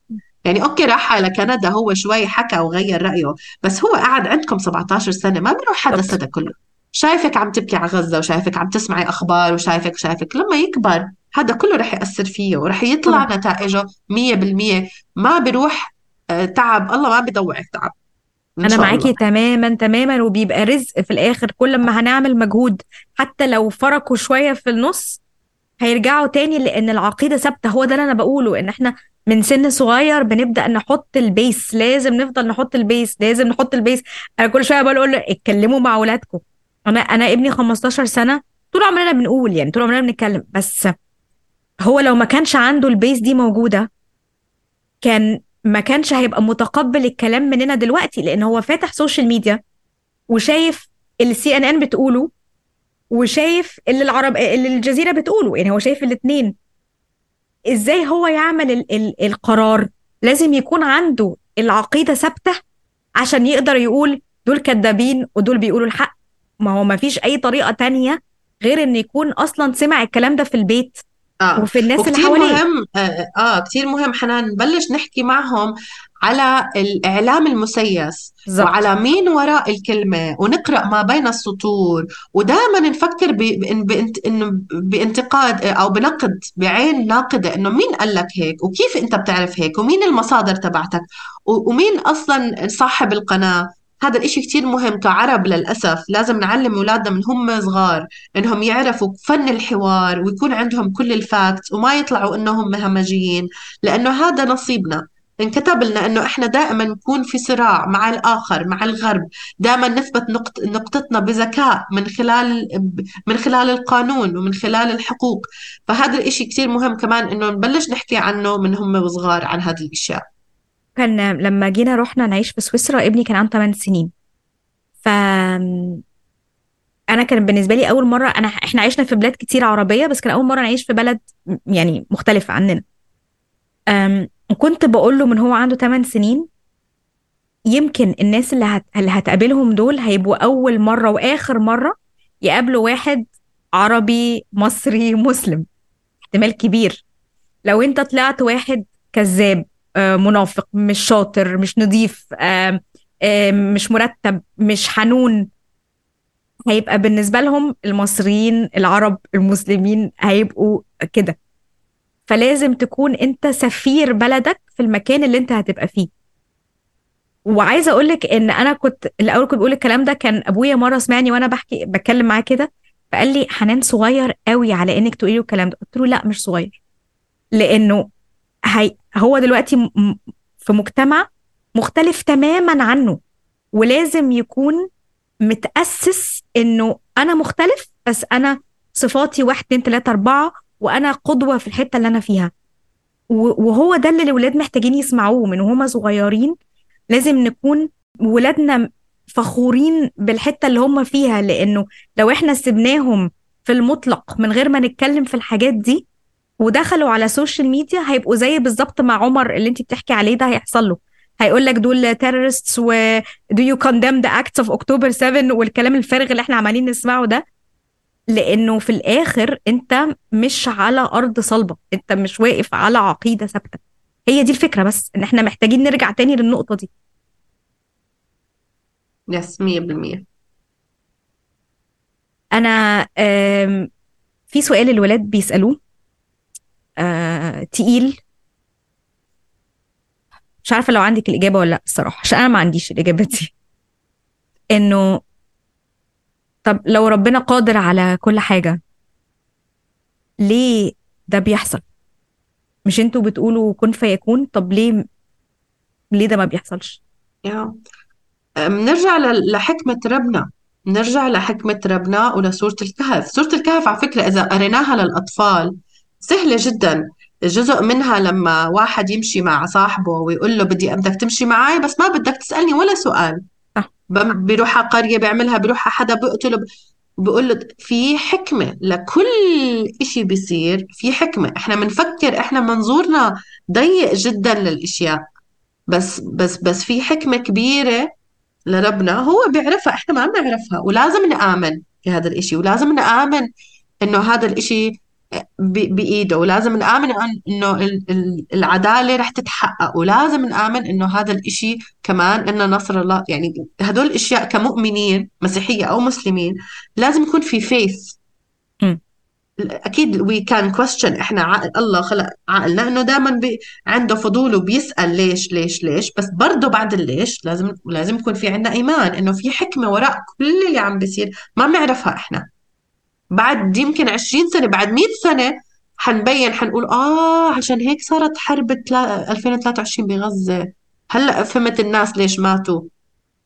يعني اوكي راح على كندا، هو شوي حكى وغير رأيه، بس هو قعد عندكم سبعتاشر سنة، ما بيروح حدا بالظبط. سنة كله. شايفك عم تبكي على غزة، وشايفك عم تسمعي أخبار، وشايفك شايفك لما يكبر هذا كله رح يأثر فيه، ورح يطلع طبعا. نتائجه مية بالمية. ما بيروح آه، تعب الله ما بيضوعك تعب إن انا شاء معاكي الله. تماما تماما، وبيبقى رزق في الاخر كل ما هنعمل مجهود. حتى لو فرقوا شوية في النص هيرجعوا تاني، لان العقيدة ثابتة. هو ده اللي انا بقوله، ان احنا من سن صغير بنبدأ نحط البيس. لازم نفضل نحط البيس، لازم نحط البيس. انا كل شوية بقول له اتكلموا مع اولادكم. انا انا ابني خمستاشر سنة، طول عمرنا بنقول، يعني طول عمرنا بنتكلم، بس هو لو ما كانش عنده البيس دي موجودة كان ما كانش هيبقى متقبل الكلام مننا دلوقتي، لان هو فاتح سوشيال ميديا وشايف اللي سي ان ان بتقوله، وشايف اللي العرب اللي الجزيرة بتقوله. يعني هو شايف الاتنين. ازاي هو يعمل ال ال القرار؟ لازم يكون عنده العقيدة ثابتة عشان يقدر يقول دول كذابين ودول بيقولوا الحق. ما هو ما فيش اي طريقة تانية غير ان يكون اصلا سمع الكلام ده في البيت اه وفي الناس اللي وكتير حواليه. مهم اه, آه كتير مهم حنان نبلش نحكي معهم على الإعلام المسيس، بالظبط. وعلى مين وراء الكلمة، ونقرأ ما بين السطور. ودائما نفكر ب- بإن- بإنت- إنه بانتقاد أو بنقد بعين ناقدة، إنه مين قال لك هيك، وكيف أنت بتعرف هيك، ومين المصادر تبعتك، و- ومين أصلا صاحب القناة. هذا الإشي كتير مهم. كعرب للأسف لازم نعلم أولادنا من هم صغار إنهم يعرفوا فن الحوار، ويكون عندهم كل الفاكتس، وما يطلعوا إنهم همجيين، لأنه هذا نصيبنا. انكتب لنا إنه إحنا دائما نكون في صراع مع الآخر، مع الغرب. دائما نثبت نقط نقطتنا بذكاء من خلال من خلال القانون ومن خلال الحقوق. فهذا الإشي كتير مهم كمان إنه نبلش نحكي عنه من هم وصغار عن هذه الأشياء. كان لما جينا رحنا نعيش في سويسرا ابني كان عنده ثماني سنين. ف انا كان بالنسبه لي اول مره، انا احنا عشنا في بلاد كتير عربيه بس كان اول مره نعيش في بلد يعني مختلفه عننا. أم، وكنت بقول له من هو عنده ثماني سنين يمكن الناس اللي هت... اللي هتقابلهم دول هيبقوا اول مره واخر مره يقابلوا واحد عربي مصري مسلم. احتمال كبير لو انت طلعت واحد كذاب، آه، منافق، مش شاطر، مش نظيف، آه، آه، مش مرتب، مش حنون، هيبقى بالنسبة لهم المصريين العرب المسلمين هيبقوا كده. فلازم تكون انت سفير بلدك في المكان اللي انت هتبقى فيه. وعايزة اقولك ان انا كنت الاول كنت بقول الكلام ده، كان ابويا مرة سمعني وانا بحكي بتكلم معاه كده فقال لي حنان صغير قوي على انك تقولي له الكلام ده. قلت له لا مش صغير، لانه هي هو دلوقتي م- م- في مجتمع مختلف تماما عنه، ولازم يكون متأسس انه انا مختلف بس انا صفاتي واحد اتنين تلاتة اربعة وانا قدوة في الحتة اللي انا فيها. و- وهو ده اللي الولاد محتاجين يسمعوه من وهم صغيرين. لازم نكون ولادنا فخورين بالحتة اللي هم فيها، لانه لو احنا سيبناهم في المطلق من غير ما نتكلم في الحاجات دي ودخلوا على سوشيال ميديا هيبقوا زي بالظبط مع عمر اللي انت بتحكي عليه ده هيحصل له. هيقول لك دول terrorists و do you condemn the acts of October seven والكلام الفارغ اللي احنا عمالين نسمعه ده. لانه في الاخر انت مش على ارض صلبة، انت مش واقف على عقيدة ثابتة. هي دي الفكرة، بس ان احنا محتاجين نرجع تاني للنقطة دي. يس مية بالمية. انا آم، في سؤال الولاد بيسألوه آه، تقيل، مش عارفة لو عندك الإجابة ولا لا الصراحة، عشان أنا ما عنديش الإجابة دي. إنه طب لو ربنا قادر على كل حاجة ليه ده بيحصل؟ مش انتوا بتقولوا كن فيكون؟ طب ليه ليه ده ما بيحصلش؟ يا بنرجع ل- لحكمة ربنا. نرجع لحكمة ربنا ولسورة الكهف. سورة الكهف على فكرة إذا قريناها للأطفال سهلة جدا. جزء منها لما واحد يمشي مع صاحبه ويقول له بدي بدك تمشي معي بس ما بدك تسألني ولا سؤال. صح. بم- بيروح على قرية بيعملها، بيروح على حدا بيقتله، بقول له في حكمة لكل إشي بيصير. في حكمة. إحنا بنفكر إحنا منظورنا ضيق جدا للإشياء، بس بس بس في حكمة كبيرة لربنا هو بيعرفها، إحنا ما بنعرفها. ولازم نآمن في هذا الإشي، ولازم نآمن إنه هذا الإشي ب- بإيده، ولازم نآمن أن- إنه ال- ال- العدالة رح تتحقق، ولازم نآمن إنه هذا الإشي كمان إنه نصر الله. يعني هدول الأشياء كمؤمنين مسيحية أو مسلمين لازم يكون في فيث. مم. اكيد وي كان كويستشن. احنا عقل الله خلق عقلنا انه دائما بي عنده فضول وبيسأل ليش ليش ليش، بس برضه بعد الليش لازم لازم يكون في عندنا ايمان انه في حكمة وراء كل اللي عم بيصير ما بنعرفها احنا. بعد يمكن عشرين سنة، بعد مئة سنة حنبين، حنقول اه عشان هيك صارت حرب تلا- ألفين وثلاثة وعشرين بغزة. هلا فهمت الناس ليش ماتوا.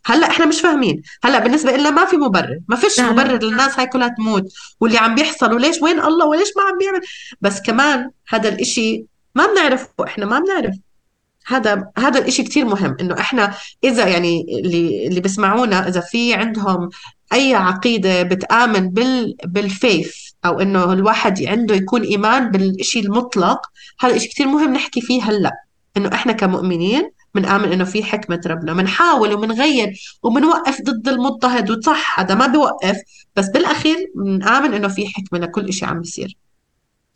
هلا احنا مش فاهمين. هلا بالنسبه لنا ما في مبرر، ما فيش لا لا. مبرر للناس هاي كلها تموت واللي عم بيحصل، وليش وين الله وليش ما عم بيعمل. بس كمان هذا الاشي ما بنعرفه، احنا ما بنعرف. هذا هذا الاشي كتير مهم انه احنا اذا يعني اللي اللي بيسمعونا اذا في عندهم اي عقيدة بتآمن بال بالفيث، او انه الواحد عنده يكون ايمان بالاشي المطلق، هذا اشي كتير مهم نحكي فيه هلا. انه احنا كمؤمنين بنآمن انه في حكمة ربنا، بنحاول وبنغير وبنوقف ضد المضطهد، وصح هذا ما بيوقف، بس بالاخير بنآمن انه في حكمة لكل اشي عم بيصير.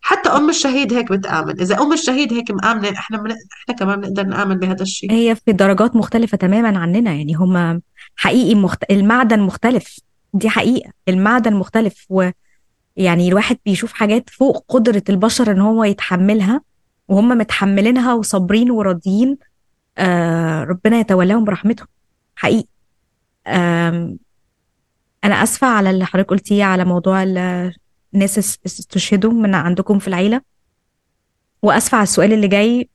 حتى أم الشهيد هيك بتآمن. إذا أم الشهيد هيك مآمنة، إحنا من... إحنا كمان بنقدر نآمن بهذا الشيء. هي في درجات مختلفة تماما عننا، يعني هما حقيقي مخت... المعدن مختلف. دي حقيقة، المعدن مختلف، ويعني الواحد بيشوف حاجات فوق قدرة البشر ان هو يتحملها وهم متحملينها وصابرين وراضيين. آه ربنا يتولاهم برحمته حقيقي. آم، انا اسفه على اللي حضرتك قلتيه على موضوع ال- الناس اس- استشهدوا من عندكم في العيله، واسفه على السؤال اللي جاي.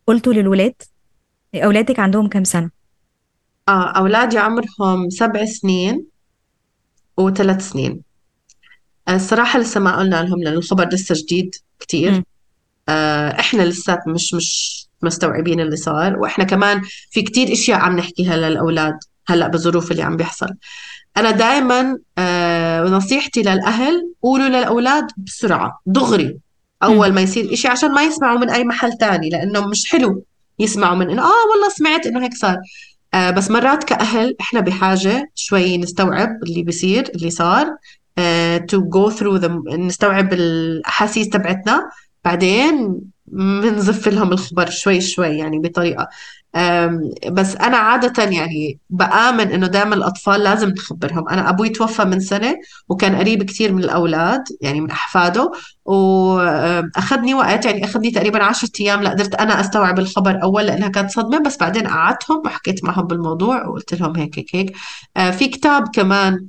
قلته للولاد، اولادك عندهم كام سنه؟ آه أولادي عمرهم سبع سنين وثلاث سنين. آه، الصراحة لسه ما قلنا لهم لأن الخبر لسه جديد كتير. مم. آه إحنا لسه مش مش مستوعبين اللي صار. وإحنا كمان في كتير إشياء عم نحكيها للأولاد هلأ بالظروف اللي عم بيحصل. أنا دائما آه نصيحتي للأهل، قولوا للأولاد بسرعة دغري مم. أول ما يصير إشي، عشان ما يسمعوا من أي محل تاني، لأنه مش حلو يسمعوا من إنه آه والله سمعت إنه هيك صار. آه بس مرات كأهل إحنا بحاجة شوي نستوعب اللي بيصير اللي صار، آه to go through the نستوعب الأحاسيس تبعتنا، بعدين بنزف لهم الخبر شوي شوي يعني بطريقة. أم، بس أنا عادة يعني بآمن إنه دائما الأطفال لازم نخبرهم. أنا أبوي توفى من سنة وكان قريب كتير من الأولاد يعني من أحفاده، وأخذني وقت يعني أخذني تقريبا عشرة أيام لقدرت أنا أستوعب الخبر أول، لأنها كانت صدمة. بس بعدين قعدتهم وحكيت معهم بالموضوع وقلت لهم هيك هيك هيك. آه، في كتاب كمان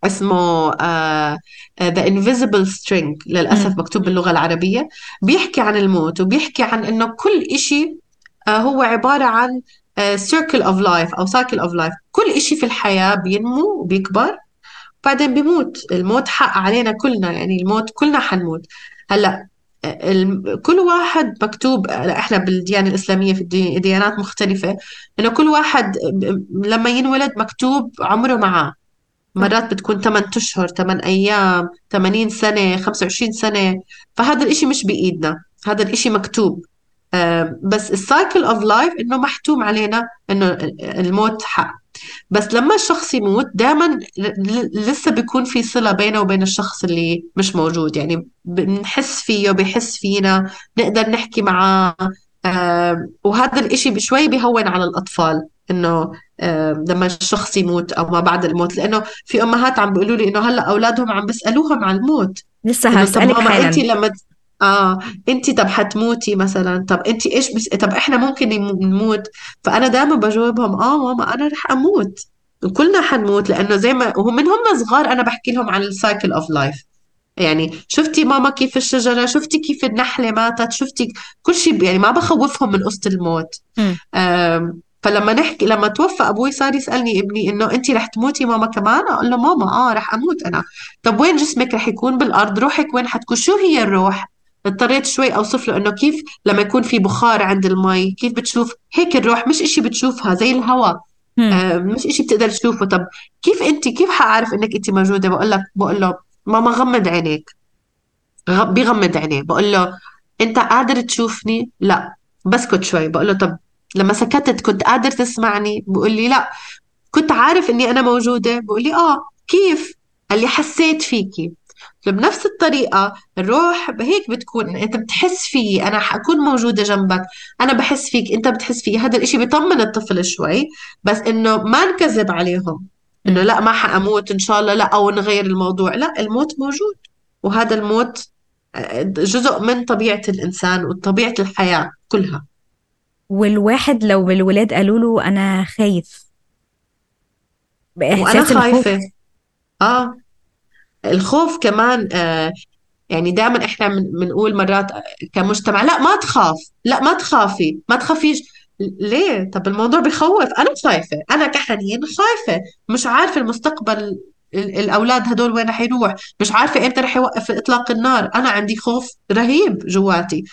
اسمه آه آه، The Invisible String، للأسف مم. مكتوب باللغة العربية. بيحكي عن الموت وبيحكي عن إنه كل إشي آه، هو عبارة عن آه، circle of life أو cycle of life. كل إشي في الحياة بينمو وبيكبر بعدين بيموت. الموت حق علينا كلنا، يعني الموت كلنا حنموت. هلأ آه، الم- كل واحد مكتوب، آه، احنا بالديانة الإسلامية في الدي- ديانات مختلفة، انه كل واحد ب- لما ينولد مكتوب عمره معاه. صح. مرات بتكون ثمانية أشهر، ثمانية أيام، ثمانين سنة، خمسة وعشرين سنة. فهذا الإشي مش بإيدنا، هذا الإشي مكتوب. آم، بس السايكل اوف لايف انه محتوم علينا انه الموت حق. بس لما الشخص يموت دائما لسه بيكون في صلة بينه وبين الشخص اللي مش موجود، يعني بنحس فيه بيحس فينا، نقدر نحكي معاه. آم، وهذا الإشي بشوي بيهون على الأطفال إنه آم، لما الشخص يموت أو ما بعد الموت. لأنه في أمهات عم بيقولوا لي إنه هلا أولادهم عم بيسألوهم عن الموت، لسه إنه طب هسألك ماما أنت حالا. لما آه أنت طب حتموتي مثلا، طب أنت إيش بس... طب إحنا ممكن يم- نموت. فأنا دائما بجاوبهم آه ماما أنا رح أموت، وكلنا حنموت. لأنه زي ما وهم من هم صغار أنا بحكي لهم عن السايكل أوف لايف. يعني شفتي ماما كيف الشجرة، شفتي كيف النحلة ماتت، شفتي كل شيء. يعني ما بخوفهم من قصة الموت. مم. أم، فلما نحكي لما توفى أبوي صار يسألني ابني إنه أنت رح تموتي ماما كمان؟ أقول له ماما آه رح أموت أنا. طب وين جسمك رح يكون؟ بالأرض. روحك وين حتكون؟ شو هي الروح؟ اضطريت شوي أوصف له إنه كيف لما يكون في بخار عند المي كيف بتشوف هيك الروح، مش إشي بتشوفها زي الهواء. مم. آه، مش إشي بتقدر تشوفه. طب كيف أنت كيف حأعرف إنك أنت موجودة؟ بقول لك بقول له ماما غمض عينيك. غ- بيغمض عينيه. بقول له انت قادر تشوفني؟ لا. بسكت شوي. بقول له طب لما سكتت كنت قادر تسمعني؟ بقول لي لا. كنت عارف اني انا موجودة؟ بقول لي اه. كيف؟ قال لي حسيت فيكي. بنفس الطريقة الروح هيك بتكون، انت بتحس فيي، انا حكون موجودة جنبك، انا بحس فيك، انت بتحس فيي. هذا الاشي بيطمن الطفل شوي. بس انه ما نكذب عليهم انه مم. لا ما حأموت ان شاء الله، لا، او نغير الموضوع. لا، الموت موجود. وهذا الموت جزء من طبيعة الإنسان وطبيعة الحياة كلها. والواحد لو الولاد قالوا له أنا خايف، وأنا بإحساس خايفة. الخوف. آه الخوف كمان. آه يعني دائما إحنا من- بنقول مرات كمجتمع لا ما تخاف، لا ما تخافي، ما تخافيش. ليه؟ طب الموضوع بخوف. أنا خايفة، أنا كحنين خايفة. مش عارفة المستقبل، ال- الأولاد هدول وين رح يروح، مش عارفة إمتى رح يوقف إطلاق النار. أنا عندي خوف رهيب جواتي.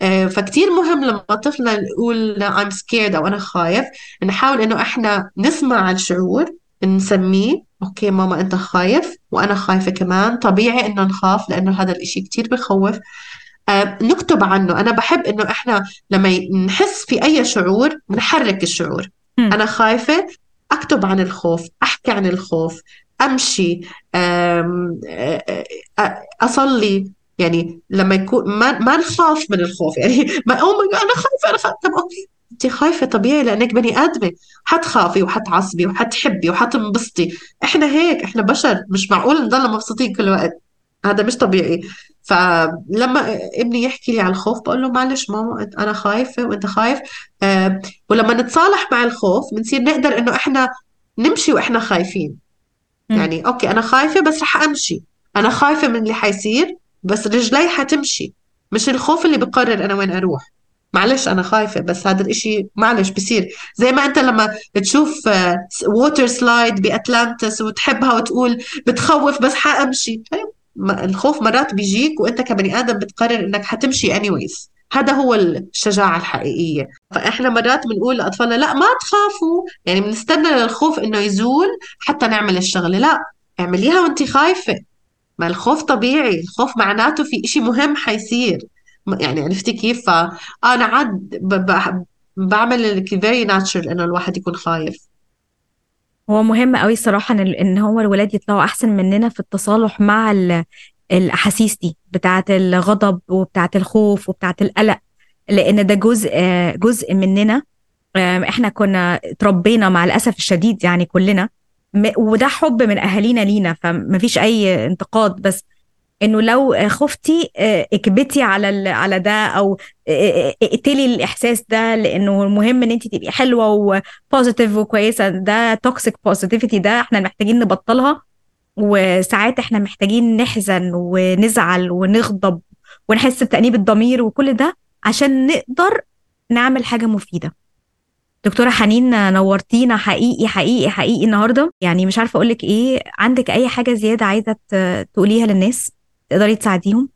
آه، فكتير مهم لما طفلنا نقول I'm scared أو أنا خايف، نحاول إنه إحنا نسمع الشعور، نسميه أوكي ماما أنت خايف وأنا خايفة كمان، طبيعي إنه نخاف لأنه هذا الإشي كتير بخوف. آه، نكتب عنه. أنا بحب إنه إحنا لما ي- نحس في أي شعور نحرك الشعور. مم. أنا خايفة، أكتب عن الخوف، أحكي عن الخوف، أمشي، آم، آه، آه، أصلي. يعني لما يكون ما ما نخاف من الخوف. يعني ما أو ما أنا خايفة أنا خايفة. طب أوكي أنت خايفة طبيعي لأنك بني آدمة، حتخافي وحتعصبي وحتحبي وحتنبسطي. إحنا هيك، إحنا بشر، مش معقول نضل مبسوطين كل وقت. هذا مش طبيعي. فلما ابني يحكي لي على الخوف بقول له معلش ماما أنت- انا خايفه وانت خايف. آه ولما نتصالح مع الخوف بنصير نقدر انه احنا نمشي واحنا خايفين. مم. يعني اوكي انا خايفه بس رح امشي، انا خايفه من اللي حيصير بس رجلي حتمشي. مش الخوف اللي بقرر انا وين اروح. معلش انا خايفه بس هذا الاشي معلش بصير. زي ما انت لما تشوف ووتر سلايد باتلانتس وتحبها وتقول بتخوف بس حامشي. طيب ما- الخوف مرات بيجيك وانت كبني ادم بتقرر انك حتمشي anyways. هذا هو الشجاعة الحقيقية. فإحنا مرات بنقول لأطفالنا لا ما تخافوا، يعني بنستنى للخوف إنه يزول حتى نعمل الشغلة. لا، اعمليها وانت خايفة. ما الخوف طبيعي، الخوف معناته في إشي مهم حيصير. م- يعني عرفتي كيف؟ فأنا عاد ب- ب- بعمل very natural إنه الواحد يكون خايف. هو مهم قوي الصراحة إن إن هو الولاد يطلعوا أحسن مننا في التصالح مع ال- الأحاسيس دي بتاعة الغضب وبتاعة الخوف وبتاعة القلق، لأن ده جزء جزء مننا. آم، إحنا كنا اتربينا مع الأسف الشديد يعني كلنا، م- وده حب من أهالينا لينا، فمفيش أي انتقاد. بس انه لو خفتي آه، اكبتي على ال- على ده، او آه، آه، اقتلي الاحساس ده، لانه المهم ان انت تبقي حلوه وبوزيتيف وكويسه. ده توكسيك بوزيتيفيتي، ده احنا محتاجين نبطلها. وساعات احنا محتاجين نحزن ونزعل ونغضب ونحس بتأنيب الضمير وكل ده عشان نقدر نعمل حاجة مفيدة. دكتورة حنين، نورتينا حقيقي حقيقي حقيقي النهاردة. يعني مش عارفة أقولك إيه. عندك أي حاجة زيادة عايزة ت- تقوليها للناس تقدري تساعديهم؟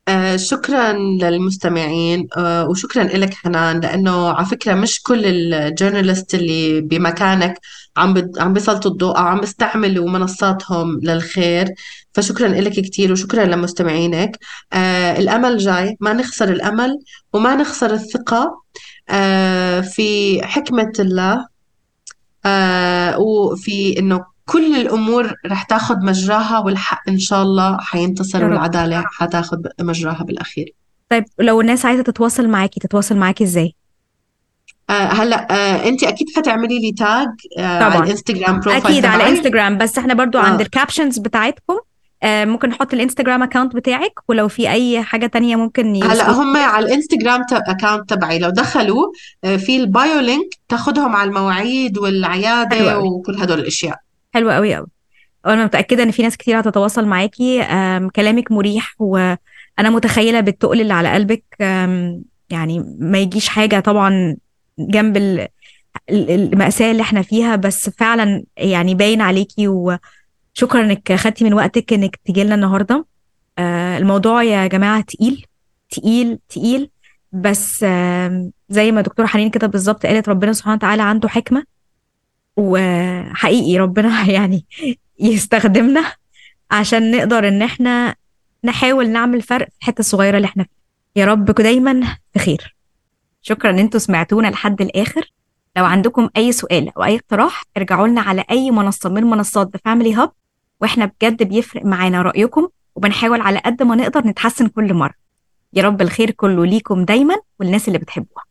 آه شكرا للمستمعين، آه وشكرا لك حنان، لأنه على فكرة مش كل الجورنالست اللي بمكانك عم بد- عم بيسلطوا الضوء أو عم بيستعملوا منصاتهم للخير. فشكرا لك كتير وشكرا لمستمعينك. آه الأمل جاي، ما نخسر الأمل وما نخسر الثقة آه في حكمة الله، آه وفي إنه كل الأمور رح تاخد مجراها، والحق إن شاء الله حينتصر يا رب. والعدالة حتاخد مجراها بالأخير. طيب لو الناس عايزة تتواصل معاكي تتواصل معاكي ازاي؟ آه هلا آه انت اكيد حتعملي لي تاج آه على طبعا. الانستغرام بروفايل اكيد على تبعي. انستجرام، بس احنا برضو عند اه الكابشنز بتاعتكم آه، ممكن نحط الانستجرام اكاونت بتاعك، ولو في اي حاجة تانية ممكن هلا يوصلوا. هم على الانستغرام اكاونت تبعي لو دخلوا آه في البايو لينك تاخدهم على المواعيد حلو والعيادة قوي. وكل هدول الاشياء. حلو قوي قوي. وانا متأكدة ان في ناس كتير هتتواصل معاكي. آم، كلامك مريح، وانا متخيلة بالتقل اللي على قلبك. آم، يعني ما يجيش حاجة طبعا جنب ال- ال- المأساة اللي احنا فيها، بس فعلا يعني باين عليكي. وشكرا انك خدتي من وقتك انك تيجي لنا النهاردة. آه، الموضوع يا جماعة تقيل تقيل تقيل. بس آم، زي ما دكتورة حنين كده بالظبط قالت، ربنا سبحانه وتعالى عنده حكمة، وحقيقي ربنا يعني يستخدمنا عشان نقدر ان احنا نحاول نعمل فرق في الحتة الصغيرة اللي احنا فيها. يا رب دايما في خير. شكرا ان انتوا سمعتونا لحد الاخر. لو عندكم اي سؤال او اي اقتراح ارجعوا لنا على اي منصة من منصات The Family Hub، واحنا بجد بيفرق معانا رأيكم، وبنحاول على قد ما نقدر نتحسن كل مرة. يا رب الخير كله ليكم دايما والناس اللي بتحبوها.